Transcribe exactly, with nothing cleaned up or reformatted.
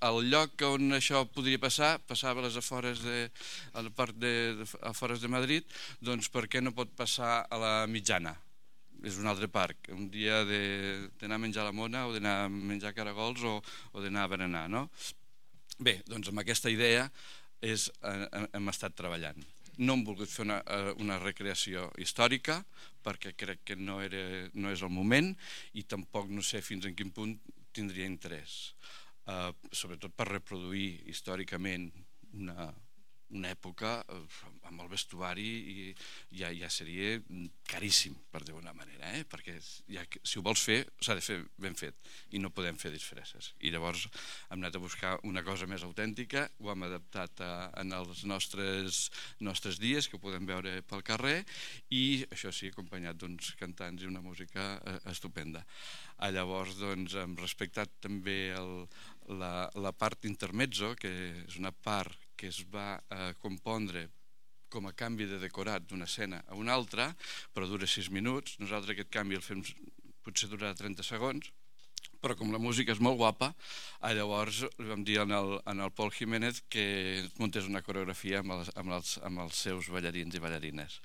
el lloc on això podria passar, passava a les afores de, a la part de, de, afores de Madrid, doncs per què no pot passar a la Mitjana? És un altre parc, un dia d'anar a menjar la mona o d'anar a menjar caragols o, o d'anar a berenar, no? Bé, doncs amb aquesta idea és, eh, hem estat treballant. No hem volgut fer una, una recreació històrica perquè crec que no, era, no és el moment i tampoc no sé fins en quin punt tindria interès, eh, sobretot per reproduir històricament una, una època amb el vestuari i ja, ja seria caríssim, per dir-ho d'una manera, eh? Perquè ja, si ho vols fer s'ha de fer ben fet i no podem fer disfresses. I llavors hem anat a buscar una cosa més autèntica, ho hem adaptat a, en els nostres, nostres dies que ho podem veure pel carrer i això sí, acompanyat d'uns cantants i una música eh, estupenda. Ah, llavors doncs, hem respectat també el, la, la part intermezzo, que és una part que es va eh, compondre com a canvi de decorat d'una escena a una altra, però dura sis minuts. Nosaltres aquest canvi el fem, potser durarà trenta segons, però com la música és molt guapa, llavors vam dir en el, en el Pol Jiménez que muntés una coreografia amb els, amb, els, amb els seus ballarins i ballarines.